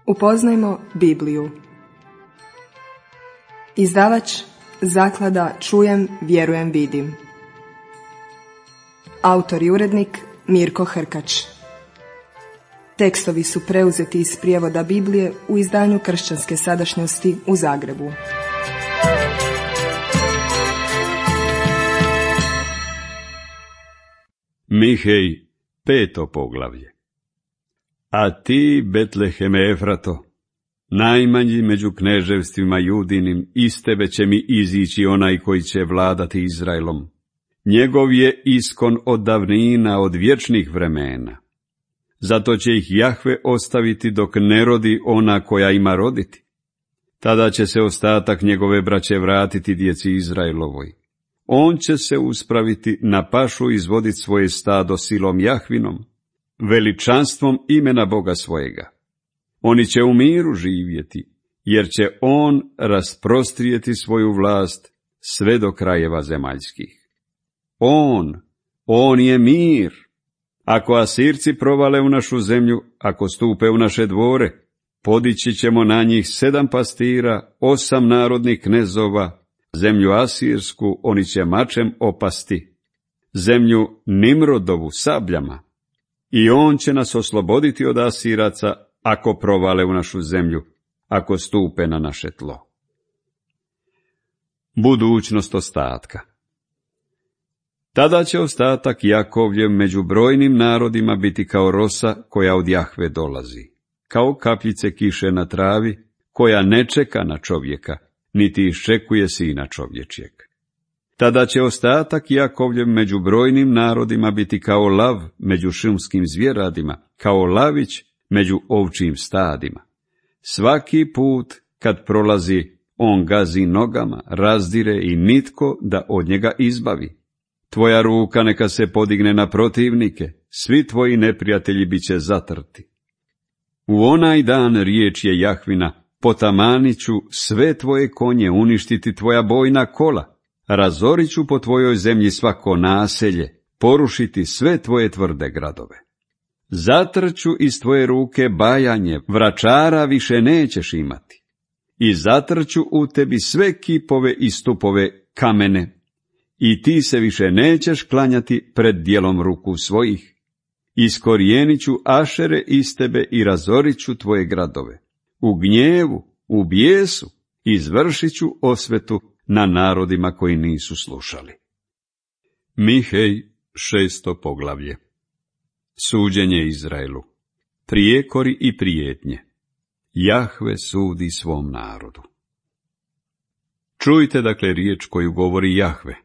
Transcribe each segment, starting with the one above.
Upoznajmo Bibliju. Izdavač Zaklada Čujem, vjerujem, vidim. Autor i urednik Mirko Hrkač. Tekstovi su preuzeti iz prijevoda Biblije u izdanju Kršćanske sadašnjosti u Zagrebu. Mihej, 5. poglavlje. A ti, Betleheme Efrato, najmanji među kneževstvima Judinim, iz tebe će mi izići onaj koji će vladati Izraelom. Njegov je iskon od davnina, od vječnih vremena. Zato će ih Jahve ostaviti dok ne rodi ona koja ima roditi. Tada će se ostatak njegove braće vratiti djeci Izraelovoj. On će se uspraviti na pašu, izvoditi svoje stado silom Jahvinom, veličanstvom imena Boga svojega. Oni će u miru živjeti, jer će on rasprostrijeti svoju vlast sve do krajeva zemaljskih. On je mir. Ako Asirci provale u našu zemlju, ako stupe u naše dvore, podići ćemo na njih 7 pastira, 8 narodnih knezova, zemlju Asirsku oni će mačem opasti, zemlju Nimrodovu sabljama. I on će nas osloboditi od Asiraca, ako provale u našu zemlju, ako stupe na naše tlo. Budućnost ostatka. Tada će ostatak Jakovljev među brojnim narodima biti kao rosa koja od Jahve dolazi, kao kapljice kiše na travi, koja ne čeka na čovjeka, niti iščekuje sina čovječjeg. Tada će ostatak Jakovljev među brojnim narodima biti kao lav među šumskim zvjeradima, kao lavić među ovčjim stadima. Svaki put kad prolazi, on gazi nogama, razdire i nitko da od njega izbavi. Tvoja ruka neka se podigne na protivnike, svi tvoji neprijatelji bit će zatrti. U onaj dan, riječ je Jahvina, potamanit ću sve tvoje konje, uništiti tvoja bojna kola, razorit ću po tvojoj zemlji svako naselje, porušiti sve tvoje tvrde gradove. Zatrću iz tvoje ruke bajanje, vračara više nećeš imati. I zatrću u tebi sve kipove i stupove kamene, i ti se više nećeš klanjati pred djelom ruku svojih. Iskorijenit ću Ašere iz tebe i razorit ću tvoje gradove. U gnjevu, u bijesu, izvršit ću osvetu na narodima koji nisu slušali. Mihej, 6. poglavlje. Suđenje Izraelu. Prijekori i prijetnje. Jahve sudi svom narodu. Čujte dakle riječ koju govori Jahve.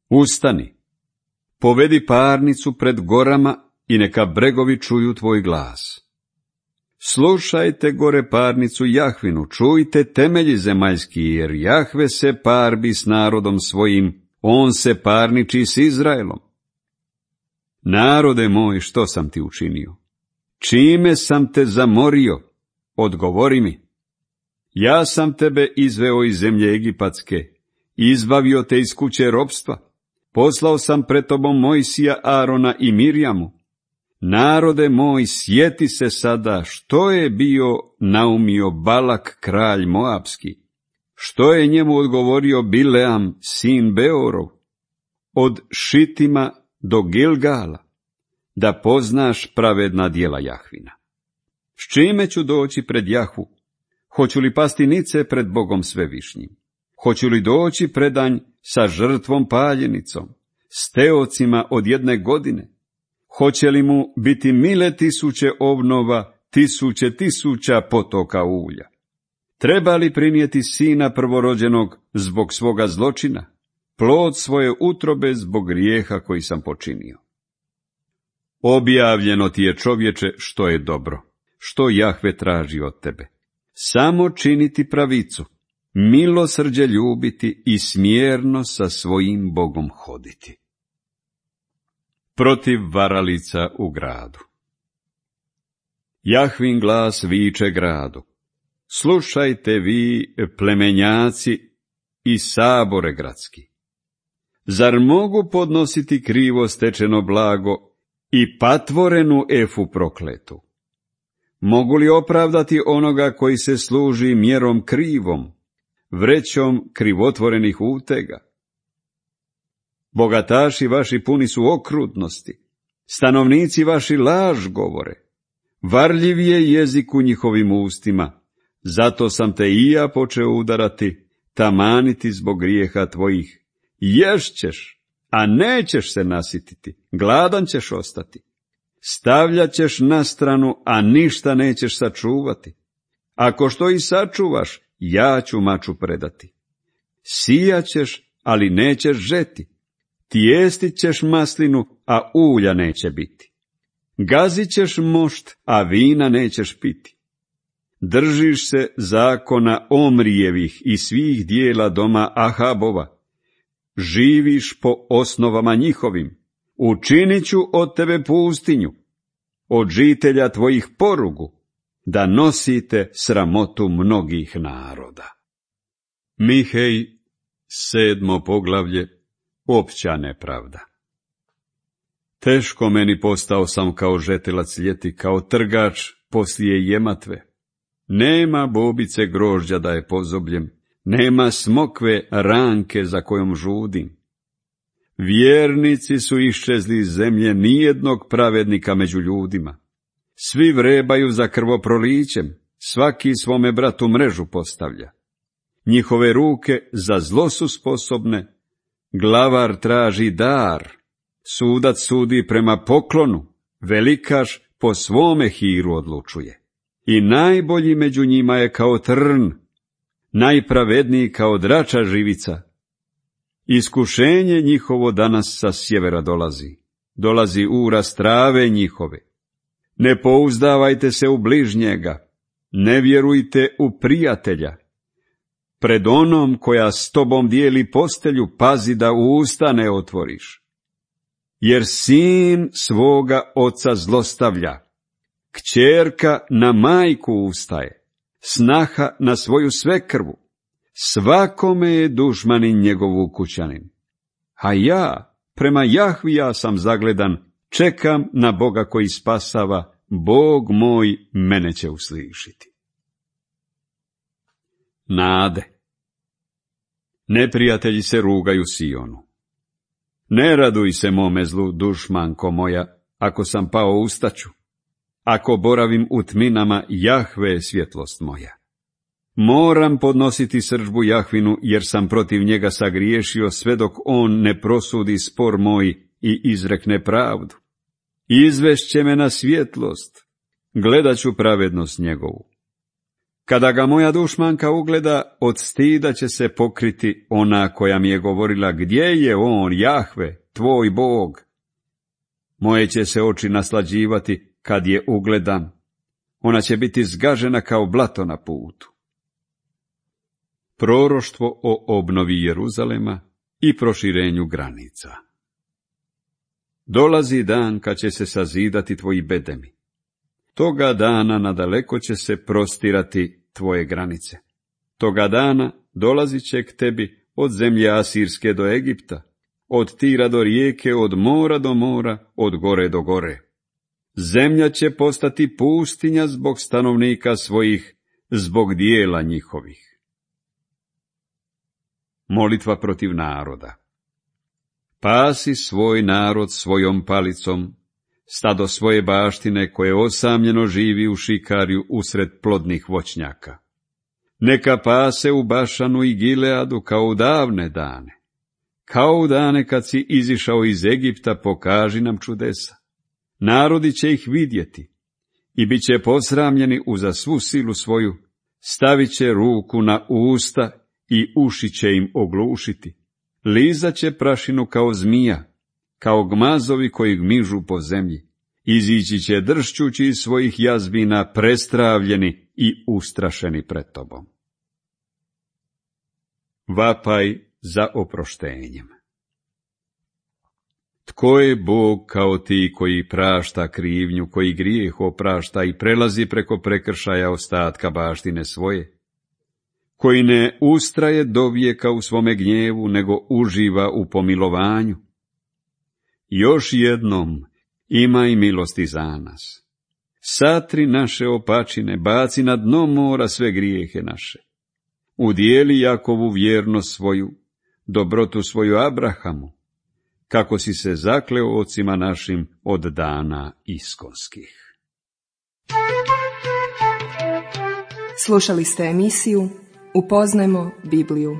Ustani, povedi parnicu pred gorama i neka bregovi čuju tvoj glas. Slušajte gore parnicu Jahvinu, čujte temelji zemaljski, jer Jahve se parbi s narodom svojim, on se parniči s Izraelom. Narode moj, što sam ti učinio? Čime sam te zamorio? Odgovori mi. Ja sam tebe izveo iz zemlje Egipatske, izbavio te iz kuće ropstva, poslao sam pred tobom Mojsija, Arona i Mirjamu. Narode moj, sjeti se sada što je bio naumio Balak, kralj Moabski, što je njemu odgovorio Bileam, sin Beorov, od Šitima do Gilgala, da poznaš pravedna djela Jahvina. S čime ću doći pred Jahvu? Hoću li pasti nice pred Bogom svevišnjim? Hoću li doći predanj sa žrtvom paljenicom, s teocima od 1 godine? Hoće li mu biti mile 1000 obnova, 1000 potoka ulja? Treba li prinijeti sina prvorođenog zbog svoga zločina, plod svoje utrobe zbog grijeha koji sam počinio? Objavljeno ti je, čovječe, što je dobro, što Jahve traži od tebe. Samo činiti pravicu, milosrđe ljubiti i smjerno sa svojim Bogom hoditi. Protiv varalica u gradu. Jahvin glas viče gradu. Slušajte vi, plemenjaci i sabore gradski. Zar mogu podnositi krivo stečeno blago i patvorenu efu prokletu? Mogu li opravdati onoga koji se služi mjerom krivom, vrećom krivotvorenih utega? Bogataši vaši puni su okrutnosti, stanovnici vaši laž govore, varljiv je jezik u njihovim ustima, zato sam te i ja počeo udarati, tamaniti zbog grijeha tvojih. Ješćeš, a nećeš se nasititi, gladan ćeš ostati. Stavljat ćeš na stranu, a ništa nećeš sačuvati. Ako što i sačuvaš, ja ću maču predati. Sijat ćeš, ali nećeš žeti. Tijestit ćeš maslinu, a ulja neće biti. Gazit ćeš mošt, a vina nećeš piti. Držiš se zakona Omrijevih i svih dijela doma Ahabova. Živiš po osnovama njihovim. Učinit ću od tebe pustinju, od žitelja tvojih porugu, da nosite sramotu mnogih naroda. Mihej, 7. poglavlje, opća nepravda. Teško meni postao sam kao žetilac ljeti, kao trgač poslije jematve. Nema bobice grožđa da je pozobljem, nema smokve ranke za kojom žudim. Vjernici su iščezli iz zemlje, nijednog pravednika među ljudima. Svi vrebaju za krvoprolićem, svaki svome bratu mrežu postavlja. Njihove ruke za zlo su sposobne, glavar traži dar, sudac sudi prema poklonu, velikaš po svome hiru odlučuje. I najbolji među njima je kao trn, najpravedniji kao drača živica. Iskušenje njihovo danas sa sjevera dolazi uraz trave njihove. Ne pouzdavajte se u bližnjega, ne vjerujte u prijatelja. Pred onom koja s tobom dijeli postelju, pazi da usta ne otvoriš. Jer sin svoga oca zlostavlja, kćerka na majku ustaje, snaha na svoju svekrvu. Svakome je dušmanin njegov ukućanin. A ja, prema Jahvija sam zagledan, čekam na Boga koji spasava, Bog moj mene će uslišiti. Nade. Neprijatelji se rugaju Sionu. Ne raduj se mome zlu, dušmanko moja, ako sam pao ustaću. Ako boravim u tminama, Jahve je svjetlost moja. Moram podnositi srdžbu Jahvinu, jer sam protiv njega sagriješio, sve dok on ne prosudi spor moj i izrekne pravdu. Izvešće me na svjetlost, gledat ću pravednost njegovu. Kada ga moja dušmanka ugleda, od stida će se pokriti ona koja mi je govorila, gdje je on, Jahve, tvoj Bog? Moje će se oči naslađivati kad je ugledam. Ona će biti zgažena kao blato na putu. Proroštvo o obnovi Jeruzalema i proširenju granica. Dolazi dan kad će se sazidati tvoji bedemi. Toga dana nadaleko će se prostirati tvoje granice. Toga dana dolazit će k tebi od zemlje Asirske do Egipta, od Tira do rijeke, od mora do mora, od gore do gore. Zemlja će postati pustinja zbog stanovnika svojih, zbog dijela njihovih. Molitva protiv naroda. Pasi svoj narod svojom palicom, stado svoje baštine koje osamljeno živi u šikarju usred plodnih voćnjaka. Neka pase u Bašanu i Gileadu kao u davne dane. Kao u dane kad si izišao iz Egipta, pokaži nam čudesa. Narodi će ih vidjeti i bit će posramljeni uza svu silu svoju, stavit će ruku na usta i uši će im oglušiti. Lizat će prašinu kao zmija, kao gmazovi koji gmižu po zemlji. Izići će dršćući iz svojih jazbina, prestravljeni i ustrašeni pred tobom. Vapaj za oproštenjem. Tko je Bog kao ti koji prašta krivnju, koji grijeh oprašta i prelazi preko prekršaja ostatka baštine svoje? Koji ne ustraje do vijeka u svome gnjevu, nego uživa u pomilovanju? Još jednom imaj milosti za nas. Satri naše opačine, baci na dno mora sve grijehe naše. Udijeli Jakovu vjernost svoju, dobrotu svoju Abrahamu, kako si se zakleo ocima našim od dana iskonskih. Slušali ste emisiju Upoznajmo Bibliju.